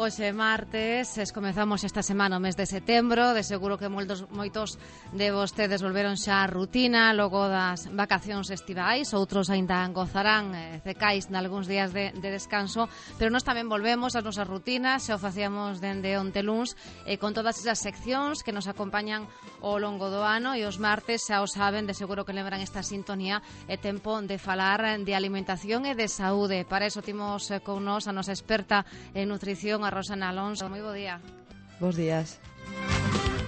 Hoxe martes, comezamos esta semana o mes de setembro. De seguro que moitos de vostedes volveron xa a rutina logo das vacacións estivais. Outros aínda gozarán cecais nalgúns días de descanso. Pero nós tamén volvemos ás nosas rutinas. Xa o facíamos dende onte luns, con todas esas seccións que nos acompañan ao longo do ano. E os martes, xa o saben, de seguro que lembran esta sintonía. É tempo de falar de alimentación e de saúde. Para iso timos con nós a nosa experta en nutrición, a Rosana Alonso. Moi bo día. Bos días.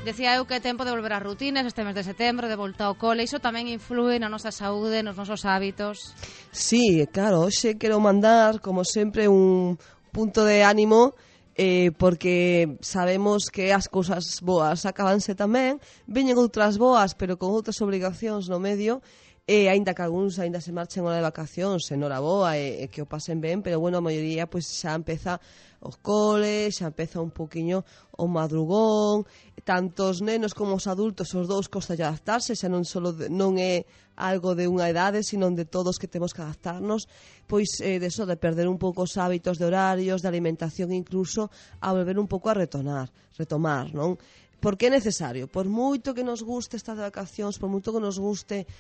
Decía eu que é tempo de volver ás rutinas este mes de setembro, de volta ao cole. Iso tamén influe na nosa saúde, nos nosos hábitos. Sí, claro, hoxe quero mandar, como sempre, un punto de ánimo, porque sabemos que as cousas boas acabanse tamén, veñen outras boas, pero con outras obrigacións no medio, e aínda que algúns aínda se marchen hora de vacacións, enhoraboa, e que o pasen ben, pero bueno, a maioría pois xa empeza os coles, xa empeza un poquinho o madrugón, tanto os nenos como os adultos, os dous costa de adaptarse, xa non é algo de unha edade, sino de todos que temos que adaptarnos, pois de perder un pouco os hábitos de horarios, de alimentación, incluso a volver un pouco a retomar, non? Porque é necesario, por moito que nos guste estar de vacacións, por moito que nos guste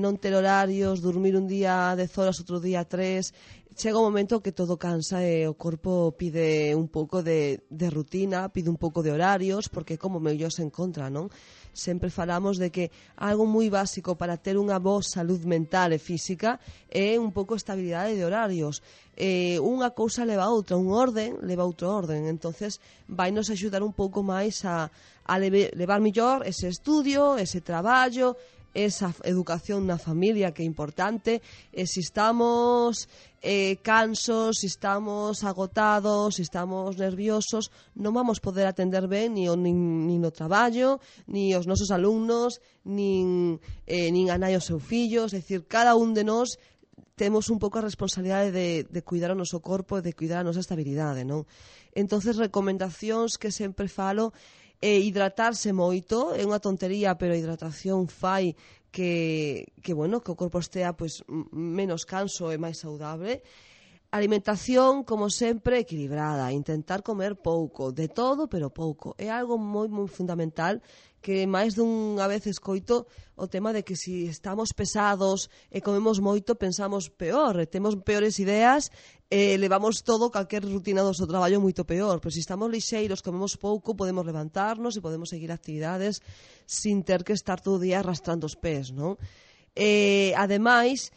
non ter horarios, dormir un día 10 horas, outro día 3, chega un momento que todo cansa e o corpo pide un pouco de rutina, pide un pouco de horarios, porque como mellor se encontra, non? Sempre falamos de que algo moi básico para ter unha boa salud mental e física é un pouco estabilidade de horarios. Unha cousa leva a outra, un orden leva a outro orden, entonces vai nos axudar un pouco máis a levar mellor ese estudio, ese traballo, esa educación na familia, que é importante. Se estamos cansos, se estamos agotados, se estamos nerviosos, non vamos poder atender ben nin no traballo, nin os nosos alumnos, nin a nai os seus fillos. É dicir, cada un de nós temos un pouco a responsabilidade de cuidar o noso corpo e de cuidar a nosa estabilidade, non? Entonces, recomendacións que sempre falo: hidratarse moito, é unha tontería, pero a hidratación fai que o corpo estea pois menos canso e máis saudable. Alimentación, como sempre, equilibrada, intentar comer pouco, de todo, pero pouco. É algo moi, moi fundamental, que máis dunha vez escoito o tema de que se estamos pesados e comemos moito, pensamos peor, temos peores ideas, levamos todo, calquer rutina do noso traballo moito peor. Pero se estamos lixeiros, comemos pouco, podemos levantarnos e podemos seguir actividades sin ter que estar todo o día arrastrando os pés, non? Ademais,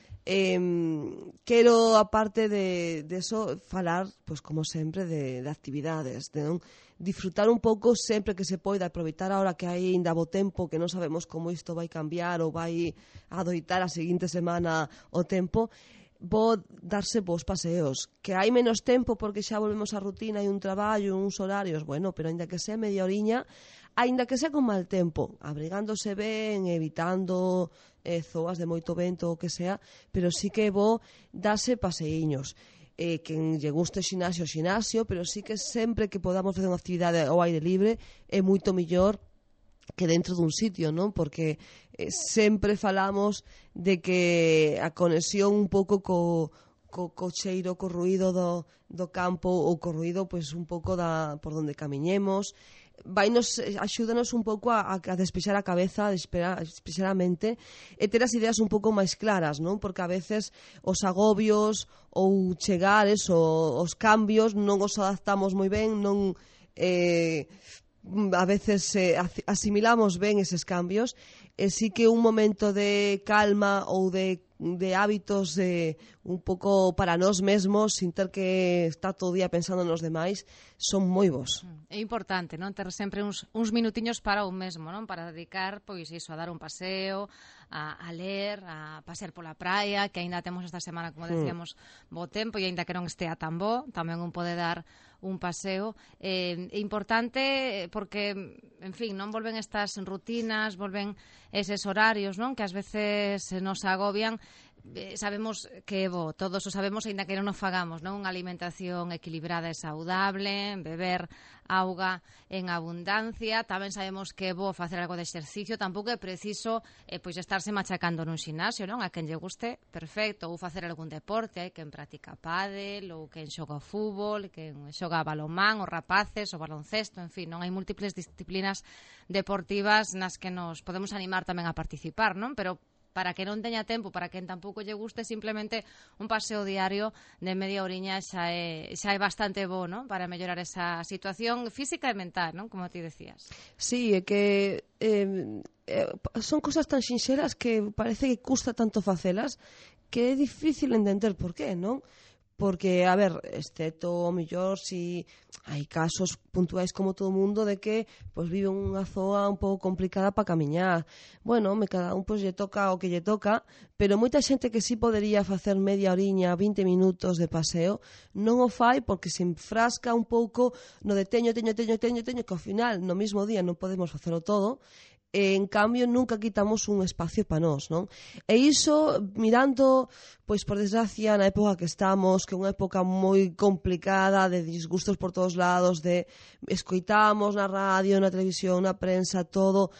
quero, aparte de eso, falar, pois como sempre, de actividades, non? Disfrutar un pouco sempre que se poida, aproveitar ahora que hai ainda bo tempo, que non sabemos como isto vai cambiar ou vai adoitar a seguinte semana o tempo, darse bons paseos. Que hai menos tempo porque xa volvemos á rutina e un traballo, uns horarios, bueno, pero aínda que sea media oriña, aínda que sea con mal tempo, abrigándose ben, evitando zoas de moito vento ou que sea, pero sí que é bo darse paseíños. Quen lle guste o xinasio, pero sí que sempre que podamos facer unha actividade ao aire libre é moito mellor que dentro dun sitio, non? Porque sempre falamos de que a conexión un pouco co cheiro, co ruído do campo ou co ruído pois un pouco por onde camiñemos, axúdanos un pouco a despexar a cabeza, a despexar a mente e ter as ideas un pouco máis claras, non? Porque a veces os agobios ou chegares os cambios non os adaptamos moi ben, non a veces asimilamos ben eses cambios, e sí que un momento de calma ou de hábitos un pouco para nós mesmos, sin ter que estar todo o día pensando nos demais, son moi bons. É importante, non? Ter sempre uns minutiños para un mesmo, non? Para dedicar, pois iso, a dar un paseo, a ler, a pasear pola praia, que aínda temos esta semana, como decíamos, bo tempo, e aínda que non estea tan bo, tamén un pode dar un paseo. É importante porque, en fin, non volven estas rutinas, volven eses horarios, non? Que ás veces nos agobian, sabemos que é bo, todos o sabemos, aínda que non o fagamos, non? Unha alimentación equilibrada e saudable, beber auga en abundancia, tamén sabemos que é bo facer algo de exercicio, tampouco é preciso pois estarse machacando nun xinasio, non? A quen lle guste, perfecto, ou facer algún deporte, hai quen practica pádel, ou quen xoga fútbol, quen xoga balonmán, os rapaces, o baloncesto, en fin, non hai múltiples disciplinas deportivas nas que nos podemos animar tamén a participar, non? Pero para que non teña tempo, para quen tampouco lle guste, simplemente un paseo diario de media horiña xa é bastante bo, non? Para mellorar esa situación física e mental, non? Como ti decías. Sí, é que son cosas tan sinxeras que parece que custa tanto facelas que é difícil entender por qué, non? Porque, a ver, excepto o mellor si hai casos puntuais como todo o mundo de que pois vive unha zoa un pouco complicada para camiñar. Bueno, cada un pois lle toca o que lle toca, pero moita xente que sí podería facer media horiña, 20 minutos de paseo, non o fai porque se enfrasca un pouco no de teño, que ao final no mesmo día non podemos facelo todo. En cambio, nunca quitamos un espacio para nós, non? E iso, mirando, pois, por desgracia, na época que estamos, que é unha época moi complicada, de disgustos por todos lados, de escoitamos na radio, na televisión, na prensa, todo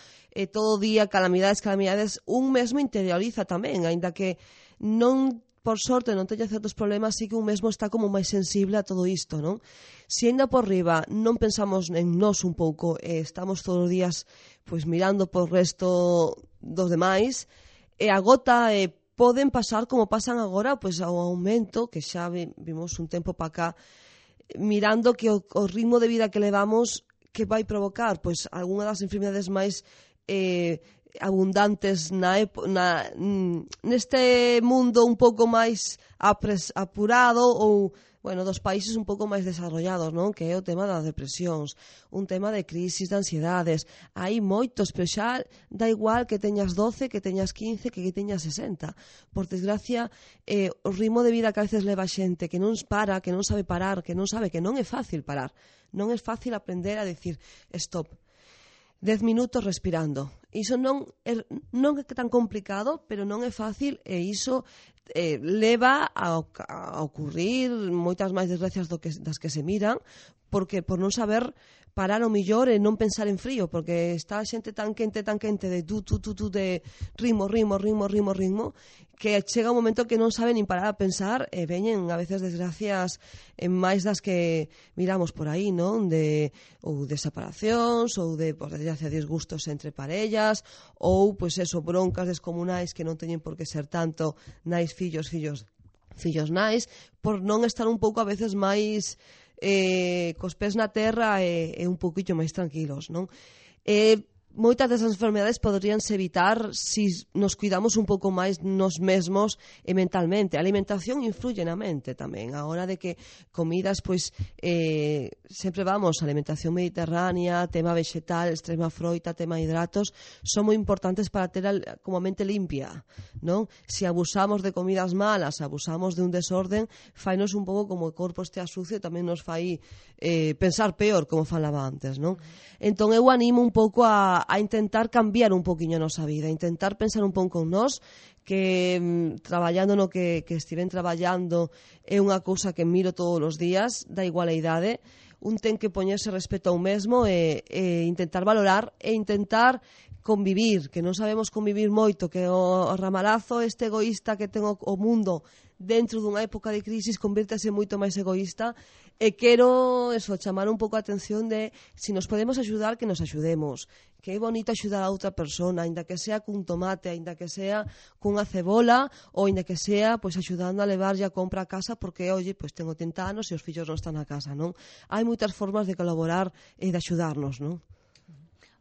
día, calamidades, un mesmo interioriza tamén, aínda que non, por sorte, non teña certos problemas, sí que un mesmo está como máis sensible a todo isto, non? Se ainda por riba non pensamos en nós un pouco, estamos todos os días pois mirando por resto dos demais, e a gota poden pasar como pasan agora, pois ao aumento, que xa vimos un tempo para cá, mirando que o ritmo de vida que levamos, que vai provocar pois algunha das enfermidades máis abundantes neste mundo un pouco máis apurado ou, bueno, dos países un pouco máis desarrollados, non? Que é o tema das depresións, un tema de crisis, de ansiedades. Hai moitos, pero xa da igual que teñas 12, que teñas 15, que teñas 60. Por desgracia, o ritmo de vida que a veces leva a xente que non para, que non sabe parar, que non sabe que non é fácil parar. Non é fácil aprender a decir stop. 10 minutos respirando. Iso non é tan complicado, pero non é fácil, e iso leva a ocurrir moitas máis desgracias das que se miran, porque por non saber parar o millor e non pensar en frío, porque está a xente tan quente de de ritmo, que chega un momento que non sabe nin parar a pensar e veñen a veces desgracias máis das que miramos por aí, non? Ou de separacións, ou de, por desgracia, disgustos entre parellas, ou, pois eso, broncas descomunais que non teñen por que ser tanto nais fillos nais, por non estar un pouco a veces máis cos pés na terra e un pouquillo máis tranquilos, non? Moitas desas enfermedades poderíanse evitar se nos cuidamos un pouco máis nos mesmos e mentalmente. A alimentación influye na mente tamén. A hora de que comidas, pois, sempre vamos, alimentación mediterránea, tema vegetal, extrema froita, tema hidratos, son moi importantes para ter como a mente limpia, non? Se abusamos de comidas malas, abusamos de un desorden, fainos un pouco como o corpo estea sucio, tamén nos fai pensar peor, como falaba antes, non? Entón, eu animo un pouco a intentar cambiar un poquinho a nosa vida, a intentar pensar un pouco en nós, que traballando no que estiven traballando é unha cousa que miro todos os días, da igual a idade, un ten que poñerse respeto ao mesmo e intentar valorar e intentar convivir, que non sabemos convivir moito, que o ramalazo este egoísta que ten o mundo dentro dunha época de crisis convírtese moito máis egoísta, e quero chamar un pouco a atención de se nos podemos axudar, que nos axudemos, que é bonito axudar a outra persona, aínda que sea cun tomate, aínda que sea cunha cebola, ou aínda que sea pois axudando a levarlle a compra a casa porque, oye, pois tengo 30 anos e os fillos non están na casa, non? Hai moitas formas de colaborar e de axudarnos, non?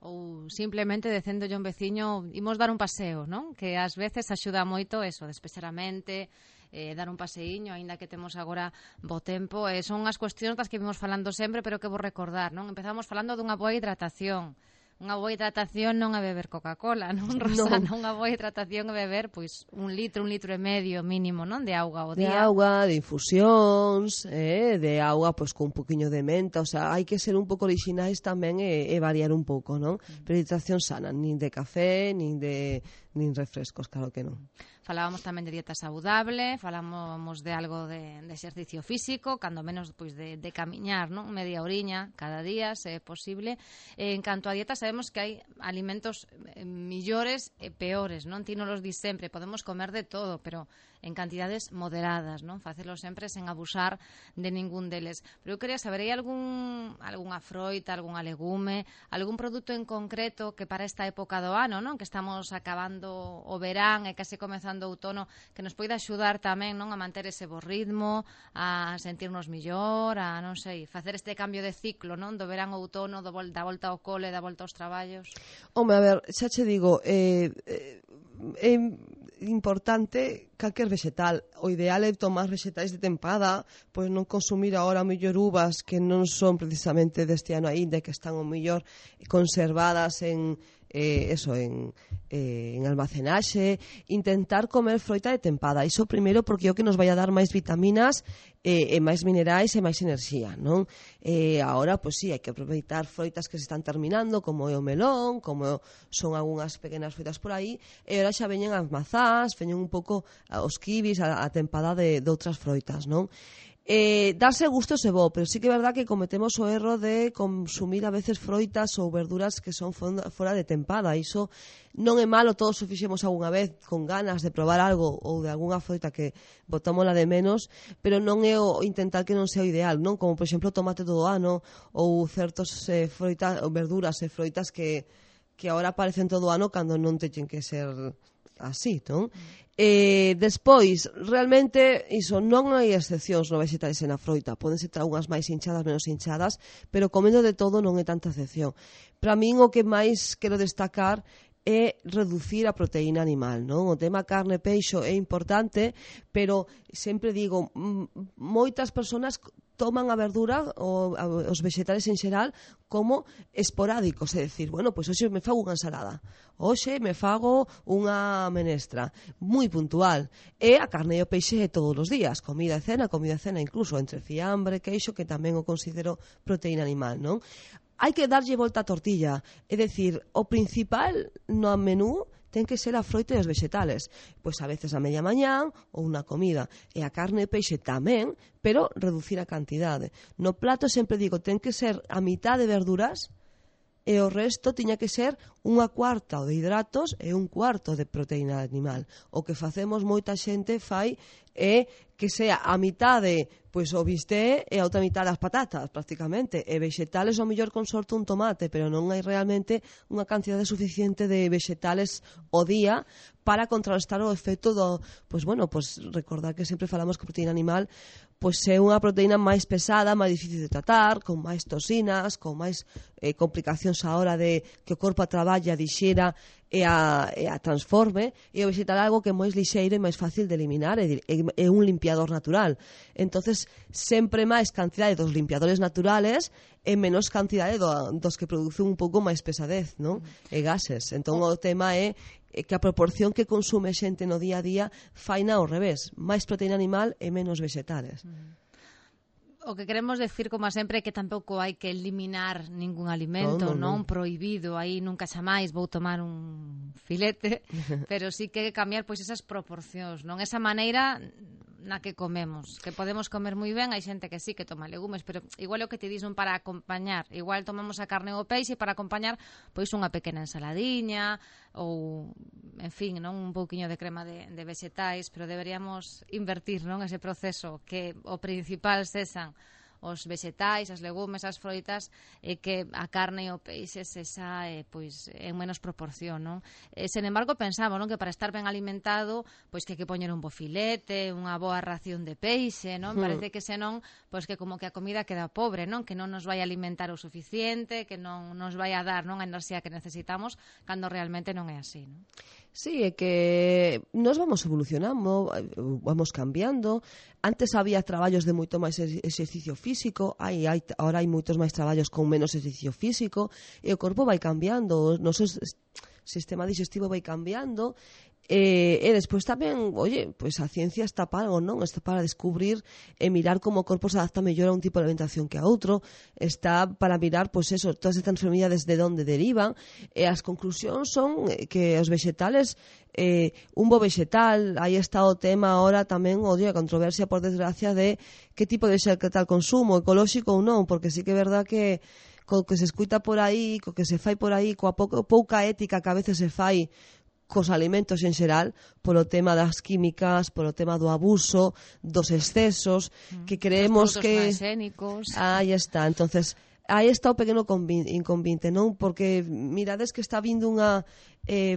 Ou simplemente dicéndolle a un veciño imos dar un paseo, non? Que ás veces axuda moito eso, despexar a mente, dar un paseiño, aínda que temos agora bo tempo, son as cuestións das que vimos falando sempre, pero que vou recordar, non? Empezamos falando dunha boa hidratación. Unha boa hidratación non é beber Coca-Cola, non, Rosana? No. Unha boa hidratación é beber, pois, un litro e medio mínimo, non? De auga ao día. De auga, de infusións, de auga, pois, con un poquinho de menta, o sea, hai que ser un pouco orixinais tamén e variar un pouco, non? Pero hidratación sana, nin de café, nin de nin refrescos, claro que non. Falábamos tamén de dieta saudable, falábamos de algo de exercicio físico, cando menos pois de camiñar, non? Media horiña cada día, se é posible. En canto a dieta, sabemos que hai alimentos millores e peores, non? Ti non los dis sempre, podemos comer de todo, pero en cantidades moderadas, non? Facelo sempre sen abusar de ningún deles. Pero eu quería saber, hai algunha froita, algunha legume, algún produto en concreto que para esta época do ano, non? Que estamos acabando o verán e case comezando o outono, que nos poida axudar tamén, non, a manter ese bo ritmo, a sentirnos mellor, a, non sei, facer este cambio de ciclo, non, do verán ao outono, da volta ao cole, da volta aos traballos. Home, a ver, xa che digo, é importante calquer vegetal. O ideal é tomar vegetais de tempada, pois non consumir agora mellor uvas que non son precisamente deste ano aínda, que están o mellor conservadas en almacenaxe, intentar comer froita de tempada. Iso primeiro porque é o que nos vai a dar máis vitaminas e máis minerais e máis enerxía, non? Agora, pois sí, hai que aproveitar froitas que se están terminando, como é o melón, como son algunhas pequenas froitas por aí, e agora xa veñen as mazás, veñen un pouco os kibis, a tempada de outras froitas, non? Darse gustos é bo, pero sí que é verdad que cometemos o erro de consumir a veces froitas ou verduras que son fora de tempada. Iso non é malo, todos o fixemos algunha vez con ganas de probar algo ou de algunha froita que botámola de menos, pero non é o intentar que non sea o ideal, non? Como, por exemplo, tomate todo o ano ou certos froitas ou verduras e froitas que agora aparecen todo o ano cando non teñen que ser así, non? Despois, realmente, iso, non hai excepcións no vegetales e na froita. Poden ser algunhas máis hinchadas, menos hinchadas, pero comendo de todo non é tanta excepción. Para min o que máis quero destacar é reducir a proteína animal, non? O tema carne e peixo é importante, pero sempre digo, moitas persoas toman a verdura ou os vegetales en xeral como esporádicos, é dicir, bueno, pois hoxe me fago unha ensalada, hoxe me fago unha menestra, moi puntual, e a carne e o peixe é todos os días, comida e cena, incluso entre fiambre, queixo, que tamén o considero proteína animal, non? Hai que darlle volta a tortilla, é dicir, o principal no menú ten que ser a froita e os vegetales. Pois a veces a media mañán ou unha comida. E a carne e peixe tamén, pero reducir a cantidade. No plato sempre digo, ten que ser a mitad de verduras e o resto tiña que ser unha cuarta de hidratos e un cuarto de proteína animal. O que facemos moita xente fai é que sea a mitade pois o bistec e a outra mitad das patatas, prácticamente. E vegetales, ao mellor con sorte un tomate, pero non hai realmente unha cantidade suficiente de vegetales ao día para contrarrestar o efecto do, pois bueno, pois recordar que sempre falamos que a proteína animal pois é unha proteína máis pesada, máis difícil de tratar, con máis toxinas, con máis complicacións á hora de que o corpo a traballa, dixera e a transforme, e o vegetal algo que é máis lixeiro e máis fácil de eliminar, é un limpiador natural. Entonces, sempre máis cantidade dos limpiadores naturales e menos cantidade dos que producen un pouco máis pesadez, non? E gases. Entón, o tema é que a proporción que consume xente no día a día faina ao revés, máis proteína animal e menos vegetales. O que queremos decir, como sempre, é que tampouco hai que eliminar ningún alimento, non prohibido, aí nunca xamais vou tomar un filete, pero sí que cambiar pois esas proporcións, non? Esa maneira na que comemos, que podemos comer moi ben, hai xente que sí que toma legumes, pero igual é o que te dixen para acompañar, igual tomamos a carne ou o peixe para acompañar pois unha pequena ensaladiña ou, en fin, non, un pouquiño de crema de vegetais, pero deberíamos invertir, non, ese proceso, que o principal sexan os vegetais, as legumes, as froitas, e que a carne e o peixe sexa pois en menos proporción, non? Sen embargo, pensamos, non, que para estar ben alimentado, pois que hai que poñer un bo filete, unha boa ración de peixe, non? Parece que senón, pois que como que a comida queda pobre, non? Que non nos vai alimentar o suficiente, que non nos vai a dar, non, a enerxía que necesitamos, cando realmente non é así, non? Sí, é que nos vamos evolucionando, vamos cambiando. Antes había traballos de moito máis exercicio físico, ahora hai moitos máis traballos con menos exercicio físico, e o corpo vai cambiando, o noso sistema digestivo vai cambiando, E despois tamén, pois a ciencia está para algo, non? Está para descubrir e mirar como o corpo se adapta mellor a un tipo de alimentación que a outro, está para mirar, pois eso, todas estas enfermidades de onde derivan, e as conclusións son que os vexetales, un bo vexetal, aí está o tema ahora tamén, a controversia, por desgracia, de que tipo de vexetal consumo, ecolóxico ou non, porque sí que é verdad que co que se escuita por aí, co que se fai por aí, coa pouca ética que a veces se fai cos alimentos en xeral, polo tema das químicas, polo tema do abuso, dos excesos, que creemos que... Os transgénicos. Aí está, entonces aí está o pequeno inconvinte, non? Porque mirades que está vindo unha,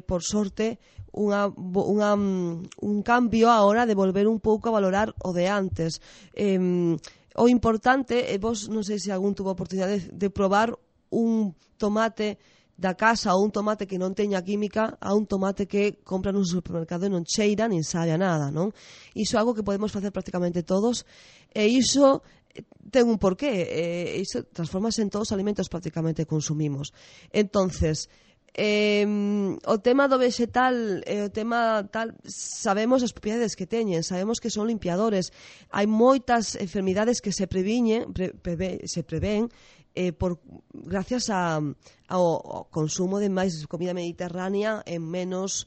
por sorte, un cambio ahora de volver un pouco a valorar o de antes. O importante, vos non sei se algún tuvo a oportunidade de probar un tomate da casa ou un tomate que non teña química a un tomate que compran no supermercado e non cheira nin sabe a nada, non? Iso é algo que podemos facer prácticamente todos, e iso ten un porqué, iso transformase en todos os alimentos prácticamente que consumimos. Entonces, o tema do vexetal, o tema tal, sabemos as propiedades que teñen, sabemos que son limpiadores, hai moitas enfermidades que se prevén gracias ao consumo de máis comida mediterránea e menos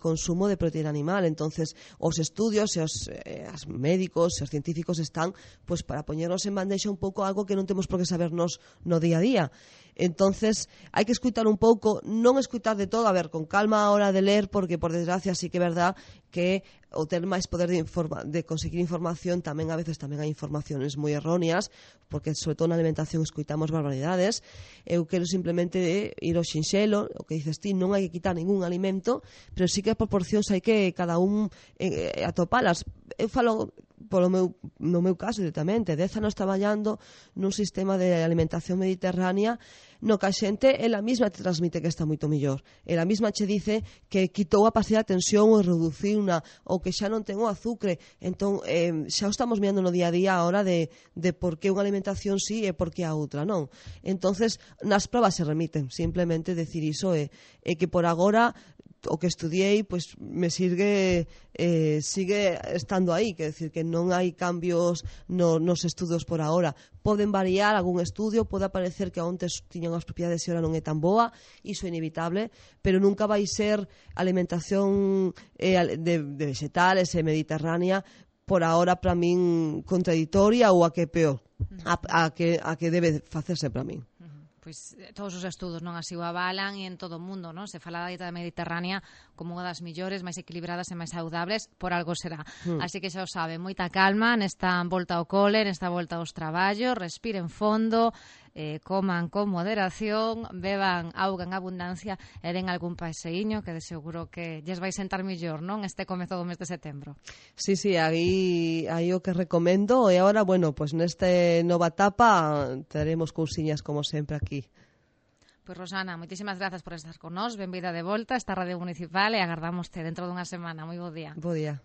consumo de proteína animal. Entonces, os estudios e os médicos e os científicos están pois para poñernos en bandexa un pouco algo que non temos por que sabernos no día a día. Entonces, hai que escutar un pouco, non escutar de todo, a ver, con calma a hora de ler, porque por desgracia sí que é verdad que o ter máis poder de conseguir información tamén a veces tamén hai informaciones moi erróneas, porque sobre todo na alimentación escuitamos barbaridades. Eu quero simplemente ir ao xinxelo, o que dices ti, non hai que quitar ningún alimento, pero sí que as proporcións hai que cada un atopalas. Eu falo no meu caso directamente, 10 anos traballando nun sistema de alimentación mediterránea no que a xente ela mesma te transmite que está moito mellor. Ela mesma che dice que quitou a pasilla de tensión ou reduciuna, ou que xa non ten o azúcar. Entón, xa o estamos mirando no día a día a hora de por que unha alimentación sí e por que a outra non. Entonces, nas probas se remiten. Simplemente decir iso é que por agora o que estudiei pois me sigue estando aí, quer decir que non hai cambios nos estudos por agora. Poden variar algún estudio, pode aparecer que ontes tiñan as propiedades e ora non é tan boa, iso é inevitable, pero nunca vai ser alimentación de vegetales e mediterránea por agora para min contradictoria ou a que peor, a que debe facerse para min. Pois todos os estudos non así o avalan e en todo o mundo, non? Se fala da dieta mediterránea como unha das millores, máis equilibradas e máis saudables, por algo será. Así que xa o sabe, moita calma nesta volta ao cole, nesta volta aos traballos, respiren fondo, coman con moderación, beban auga en abundancia e den algún paseíño que de seguro que lles vai sentar mellor, non? Este comezo do mes de setembro. Sí, aí o que recomendo e agora, bueno, pues neste nova etapa teremos cousiñas como sempre aquí. Pois Rosana, moitísimas grazas por estar con nós, benvida de volta a esta Radio Municipal e agardámoste dentro dunha semana. Moi bo día. Bo día.